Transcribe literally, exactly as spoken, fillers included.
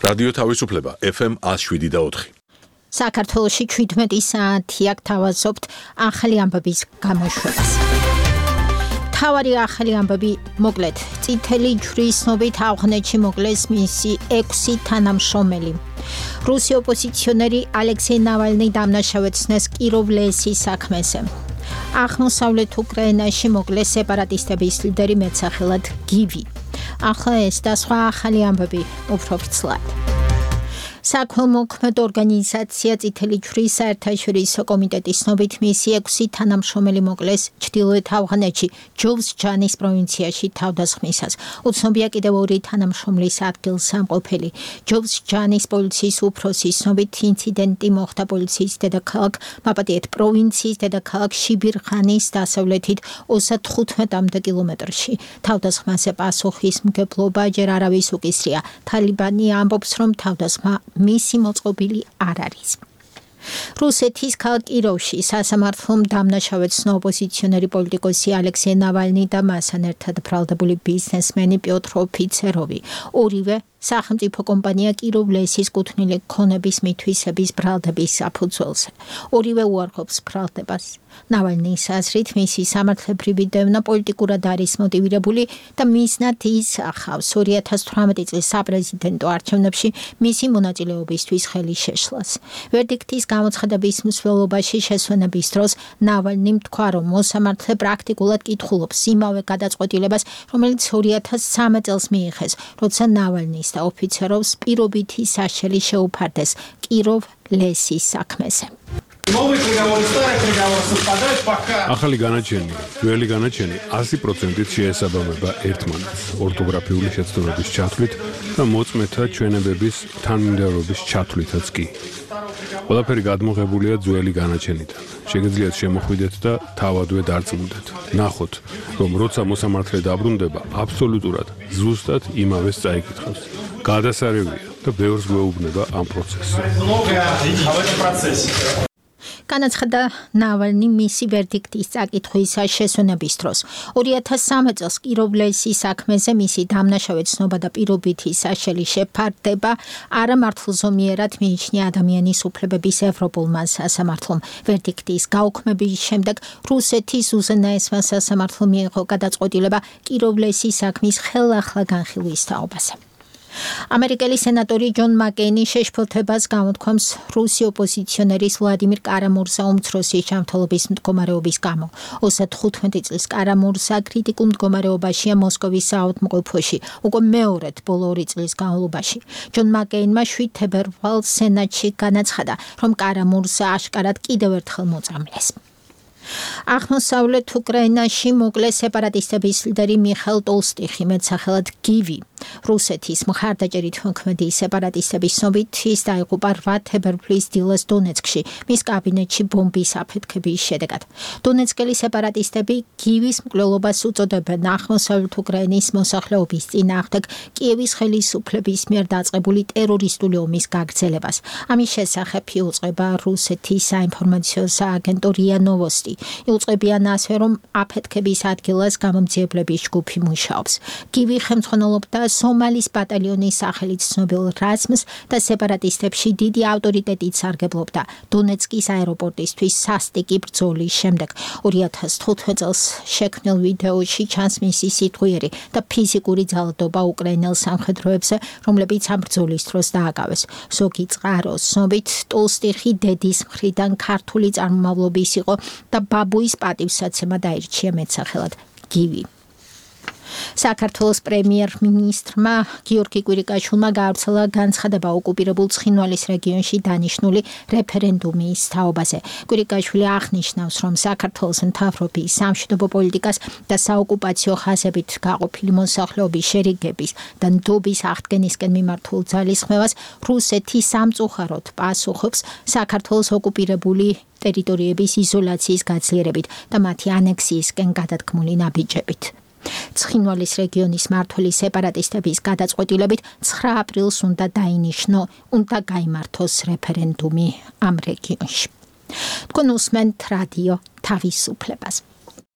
რადიო თავისუფლება ეფ ემ one oh seven და four. საქართველოში შვიდმეტი საათი აქ თავაზობთ ახალი ამბების გამოშვებას. თავარი ახალი ამბები მოკლედ წითელი ჯვრის ცნობით ავღანეთში მოკლეს მისი ექვსი თანამშრომელი. რუსი ოპოზიციონერი ალექსეი ნავალნი დამნაშავეცნეს კიროვ-ლესის საქმეზე. აღმოსავლეთ უკრაინაში მოკლეს სეპარატისტების ლიდერი მეტსახელად გივი. ახლა ეს და სხვა ახალი ამბები უფრო ვრცლად. საქველმოქმედო ორგანიზაცია წითელი ჯვრის საერთაშორისო კომიტეტის ცნობით მისი ექვსი თანამშრომელი მოკლეს ჩრდილოეთ ავღანეთში ჯოვს ჯანის პროვინციაში თავდასხმისას. უცნობია კიდევ ორი თანამშრომლის ადგილსამყოფელი. ჯოვს ჯანის პოლიციის უფროსის ცნობით ინციდენტი მოხდა პოლიციის დედაქალაქ მაპატიეთ პროვინციის დედაქალაქ შიბირხანის დასავლეთით ოცდათხუთმეტ კილომეტრში. თავდასხმაზე პასუხისმგებლობა ჯერ არავის უკისრია. თალიბანი ამბობს, რომ თავდასხმა მისი მოწყობილი არ არის. რუსეთის ქალაქ კიროვში სასამართლომ დამნაშავეცნო ოპოზიციონერი პოლიტიკოსი ალექსეი ნავალნი და მასთან ერთად ბრალდებული ბიზნესმენი პიოტრ ოფიცეროვი. ორივე სახელმწიფო კომპანია კიროვ-ლესის კუთვნილი ქონების მითვისების ბრალდების საფუძველზე. ორივე უარყოფს ბრალდებას. ნავალნის აზრით მისი სამართლებრივი დევნა პოლიტიკურად არის მოტივირებული და მიზნად ის ახავს ორი ათას თვრამეტი წლის საპრეზიდენტო არჩევნებში მისი მონაწილეობისთვის ხელის შეშლას. ვერდიქტის გამოცხადების მსვლელობაში შესვენების დროს ნავალნიმ თქვა, რომ მოსამართლე პრაქტიკულად კითხულობს იმავე გადაწყვეტილებას, რომელიც ორი ათას სამი წელს მიიღეს, როცა ნავალნის და ოფიცეროვს პირობითი საშელი შეუფარდეს კიროვ-ლესის საქმეზე. ახალი განაჩენი, ძველი განაჩენი one hundred percent შეესაბამება ერთმანეთს ორთოგრაფიული შეცდომების ჩათვლით და მოწმეთა ჩვენებების თანმიმდევრობის ჩათვლითაც კი. ყველაფერი გადმოღებულია ძველი განაჩენიდან. შეგიძლიათ შემოხვიდეთ და თავადვე დარწმუნდეთ. ნახოთ, რომ როცა მოსამართლე დაბრუნდება, აბსოლუტურად ზუსტად იმავეს წაიკითხავს. გადასარევია და ბევრს გვეუბნება ამ პროცესზე. განაცხადა ნავალნი მისი ვერდიქტის წაკითხვის შესვენების დროს. ორი ათას სამი წელს კიროვ-ლესის საქმეზე მისი დამნაშავეცნობა და პირობითი საშელი შეფარდება არამართლზომიერად მიიჩნია ადამიანის უფლებების ევროპულმა სასამართლომ. ვერდიქტის გაუქმების შემდეგ რუსეთის უზენაესმა სასამართლომ მიიღო გადაწყვეტილება კიროვ-ლესის საქმის ხელახლა განხილვის თაობაზე. ამერიკელი სენატორი ჯონ მაკეინი შეშფოთებას გამოთქვამს რუსი ოპოზიციონერის ვლადიმირ კარამურზა უმცროსის ჯანმრთელობის მდგომარეობის გამო. ოცდათხუთმეტი წლის კარამურზა კრიტიკულ მდგომარეობაშია მოსკოვის საავადმყოფოში უკვე მეორედ ბოლო ორი წლის განმავლობაში. ჯონ მაკეინმა შვიდ თებერვალს სენატში განაცხადა, რომ კარამურზა აშკარად კიდევ ერთხელ მოწამლეს. აღმოსავლეთ უკრაინაში მოკლეს სეპარატისტების ლიდერი მიხაილ ტოლსტიხი, მეტსახელად გივი. რუსეთის მხარდაჭერით მოქმედი სეპარატისტების ცნობით ის დაიღუპა რვა თებერვლის დილას დონეცკში, მის კაბინეტში ბომბის აფეთქების შედეგად. დონეცკელი სეპარატისტები გივის მკვლელობას უწოდებენ აღმოსავლეთ უკრაინის მოსახლეობის წინააღმდეგ კიევის ხელისუფლების მიერ დაწყებული ტერორისტული ომის გაგრძელებას. ამის შესახებ იუწყება რუსეთის საინფორმაციო სააგენტო რია ნოვოსტი. იუწყებიან ასე, რომ აფეთქების ადგილას გამომძიებლების ჯგუფი მუშაობს. გივი ხელმძღვანელობდა სომალის ბატალიონის სახელით ცნობილ რაზმს და სეპარატისტებში დიდი ავტორიტეტით სარგებლობდა დონეცკის აეროპორტისთვის სასტიკი ბრძოლის შემდეგ. ორი ათას თხუთმეტ წელს შექმნილ ვიდეოში ჩანს მისი სიტყვიერი და ფიზიკური ძალადობა უკრაინელ სამხედროებზე, რომლებიც ამ ბრძოლის დროს დააკავეს. ზოგი წყაროს ცნობით ტოლსტიხი დედის მხრიდან ქართული წარმომავლობის იყო და ბაბუის პატივსაცემად აირჩია მეტსახელად გივი. საქართველოს პრემიერ-მინისტრმა გიორგი კვირიკაშვილმა გაავრცელა განცხადება ოკუპირებულ ცხინვალის რეგიონში დანიშნული რეფერენდუმის თაობაზე. კვირიკაშვილი აღნიშნავს, რომ საქართველოს მთავრობის სამშვიდობო პოლიტიკას და საოკუპაციო ხაზებით გაყოფილი მოსახლეობის შერიგების და ნდობის აღდგენისკენ მიმართულ ძალისხმევას რუსეთი სამწუხაროდ პასუხობს საქართველოს ოკუპირებული ტერიტორიების იზოლაციის გაძლიერებით და მათი ანექსიისკენ გადადგმული ნაბიჯებით. ცხინვალის რეგიონის მმართველი სეპარატისტების გადაწყვეტილებით ცხრა აპრილს უნდა დაინიშნო, უნდა გაიმართოს რეფერენდუმი ამ რეგიონში. თქვენ უსმენთ რადიო თავისუფლებას.